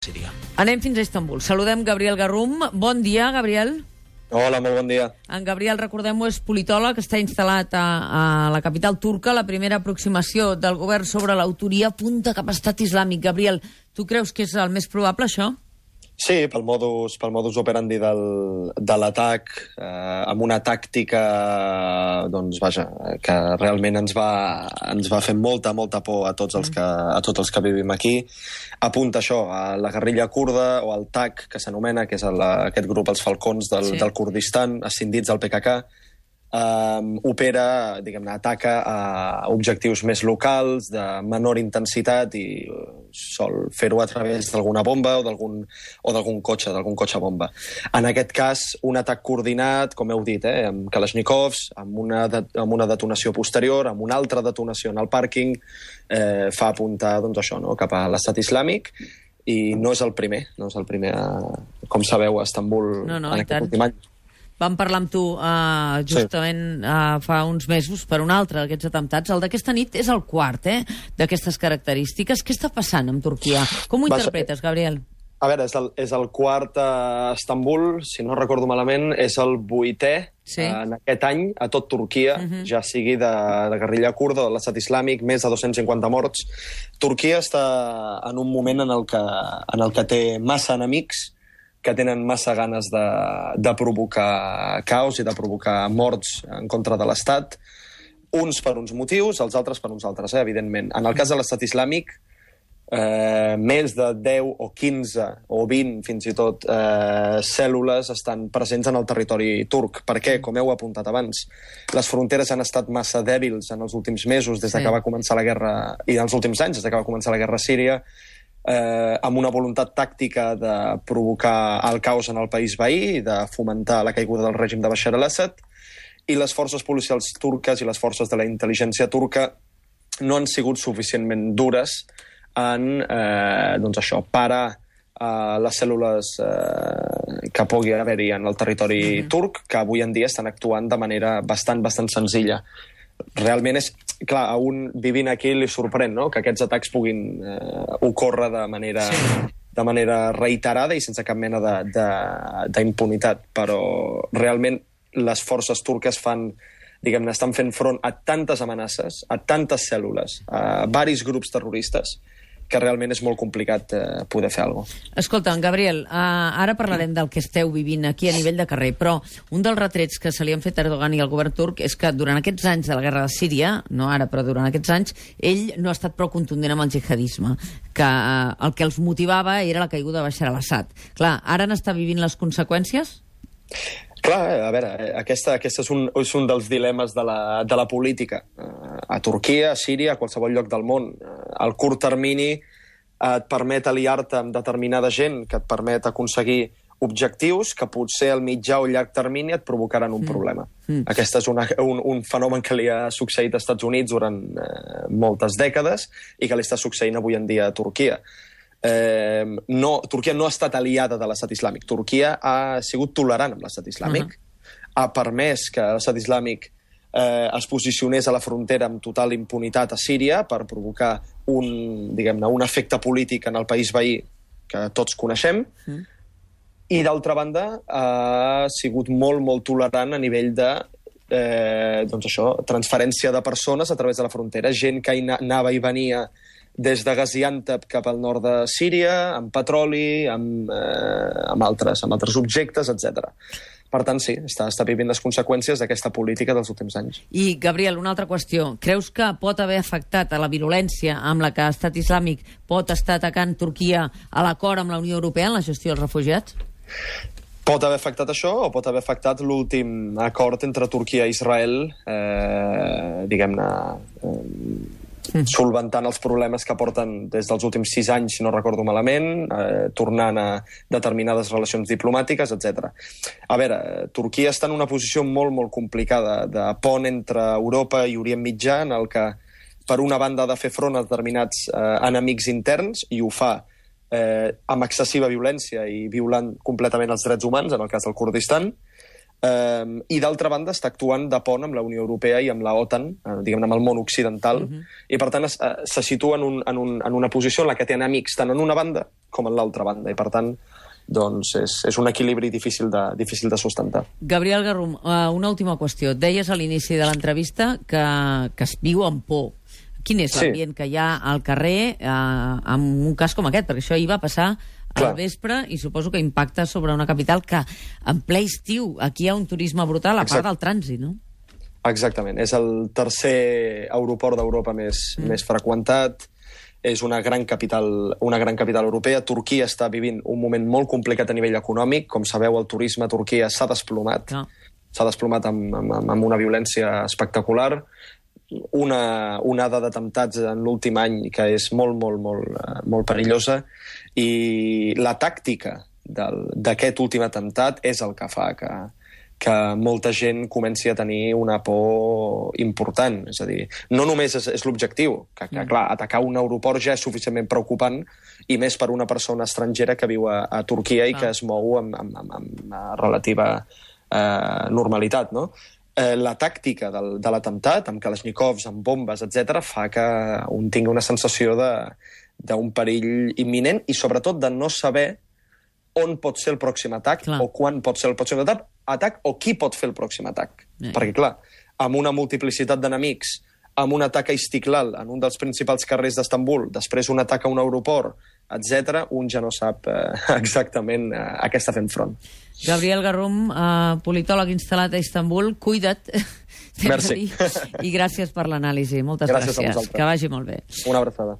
Síria. Anem fins a Istanbul. Saludem Gabriel Garrum. Bon dia, Gabriel. Hola, molt bon dia. En Gabriel, recordem-ho, és politòleg, està instal·lat a la capital turca. La primera aproximació del govern sobre l'autoria apunta cap a Estat Islàmic. Gabriel, tu creus que és el més probable, això? Sí, pel modus operandi de l'atac, amb una tàctica, doncs vaja, que realment ens va fer molta por a tots els que vivim aquí. Apunta això, a la guerrilla kurda o al TAC, que s'anomena, que és aquest grup, els falcons del Kurdistan, ascendits al PKK, opera, diguem-ne, ataca a objectius més locals, de menor intensitat, i sol fer-ho a través d'alguna bomba o d'algun cotxe bomba. En aquest cas, un atac coordinat, com heu dit, amb Kalashnikovs, amb una detonació posterior, amb una altra detonació en el pàrquing, fa apuntar, doncs, això, no?, cap a l'Estat Islàmic, i no és el primer, com sabeu, a Istanbul en aquest últim any. Vam parlar amb tu justament fa uns mesos per un altre d'aquests atemptats. El d'aquesta nit és el quart, d'aquestes característiques. Què està passant amb Turquia? Com ho interpretes, Gabriel? A veure, és el quart a Istanbul, si no recordo malament, és el 8è en aquest any a tot Turquia, ja sigui de guerrilla kurda o de l'Estat Islàmic, més de 250 morts. Turquia està en un moment en el que té massa enemics, que tenen massa ganes de provocar caos i de provocar morts en contra de l'Estat, uns per uns motius, els altres per uns altres, evidentment. En el cas de l'Estat Islàmic, més de 10 o 15 o 20, fins i tot, cèl·lules estan presents en el territori turc. Per què? Com heu apuntat abans, les fronteres han estat massa dèbils en els últims mesos, des que va començar la guerra, i en els últims anys, des que va començar la guerra a Síria, amb una voluntat tàctica de provocar el caos en el país veí i de fomentar la caiguda del règim de Bashar al-Assad, i les forces policials turques i les forces de la intel·ligència turca no han sigut suficientment dures en parar les cèl·lules que pugui haver-hi en el territori turc, que avui en dia estan actuant de manera bastant senzilla. Realment és... Clar, a un vivint aquí li sorprèn, no?, que aquests atacs puguin ocórrer de manera reiterada i sense cap mena d'impunitat. Però realment les forces turques estan fent front a tantes amenaces, a tantes cèl·lules, a varis grups terroristes, que realment és molt complicat poder fer alguna cosa. Escolta, Gabriel, ara parlarem del que esteu vivint aquí a nivell de carrer, però un dels retrets que se li han fet a Erdogan i al govern turc és que durant aquests anys de la guerra de Síria, no ara, però durant aquests anys, ell no ha estat prou contundent amb el jihadisme, que el que els motivava era la caiguda de Bashar al-Assad. Clar, ara n'està vivint les conseqüències? Clar, a veure, aquest és un dels dilemes de la política. A Turquia, a Síria, a qualsevol lloc del món. El curt termini et permet aliar-te amb determinada gent, que et permet aconseguir objectius que potser al mitjà o llarg termini et provocaran un problema. Aquest és un fenomen que li ha succeït als Estats Units durant moltes dècades i que li està succeint avui en dia a Turquia. Turquia no ha estat aliada de l'Estat Islàmic. Turquia ha sigut tolerant amb l'Estat Islàmic, ha permès que l'Estat Islàmic es posicionés a la frontera amb total impunitat a Síria per provocar un efecte polític en el país veí que tots coneixem, i d'altra banda ha sigut molt tolerant a nivell de transferència de persones a través de la frontera, gent que anava i venia des de Gaziantep cap al nord de Síria, amb petroli, amb altres objectes, etc. Per tant, sí, està vivint les conseqüències d'aquesta política dels últims anys. I, Gabriel, una altra qüestió. Creus que pot haver afectat a la virulència amb la que l'Estat Islàmic pot estar atacant Turquia a l'acord amb la Unió Europea en la gestió dels refugiats? Pot haver afectat això o pot haver afectat l'últim acord entre Turquia i Israel, solventant els problemes que porten des dels últims 6 anys, si no recordo malament, tornant a determinades relacions diplomàtiques, etc. A veure, Turquia està en una posició molt complicada de pont entre Europa i Orient Mitjà, en el que, per una banda, ha de fer front a determinats enemics interns, i ho fa amb excessiva violència i violant completament els drets humans, en el cas del Kurdistan. I d'altra banda està actuant de pont amb la Unió Europea i amb la OTAN, diguem-ne, amb el món occidental, i per tant se situa en una posició en la que té enemics tant en una banda com en l'altra banda, i per tant doncs és un equilibri difícil de sustentar. Gabriel Garrum, una última qüestió. Deies a l'inici de l'entrevista que es viu amb por. Quin és l'ambient que hi ha al carrer en un cas com aquest? Perquè això ahir va passar al vespre i suposo que impacta sobre una capital que en ple estiu aquí hi ha un turisme brutal, a part del trànsit, no? Exactament. És el tercer aeroport d'Europa més freqüentat. És una gran capital europea. Turquia està vivint un moment molt complicat a nivell econòmic. Com sabeu, el turisme a Turquia s'ha desplomat. S'ha desplomat amb una violència espectacular. Una onada d'atemptats en l'últim any que és molt perillosa, i la tàctica d'aquest últim atemptat és el que fa que molta gent comenci a tenir una por important. És a dir, no només és l'objectiu, que clar, atacar un aeroport ja és suficientment preocupant, i més per una persona estrangera que viu a Turquia i que es mou amb relativa normalitat, no? La tàctica de l'atemptat, amb kalashnikovs, amb bombes, etc., fa que un tingui una sensació d'un perill imminent i, sobretot, de no saber on pot ser el pròxim atac o quan pot ser el pròxim atac o qui pot fer el pròxim atac. Perquè, clar, amb una multiplicitat d'enemics, amb un atac a Istiklal, en un dels principals carrers d'Istanbul, després un atac a un aeroport, etc., un ja no sap exactament a què està fent front. Gabriel Garrum, politòleg instal·lat a Istanbul, cuida't. Merci. I gràcies per l'anàlisi. Moltes gràcies. Gràcies a vosaltres. Que vagi molt bé. Una abraçada.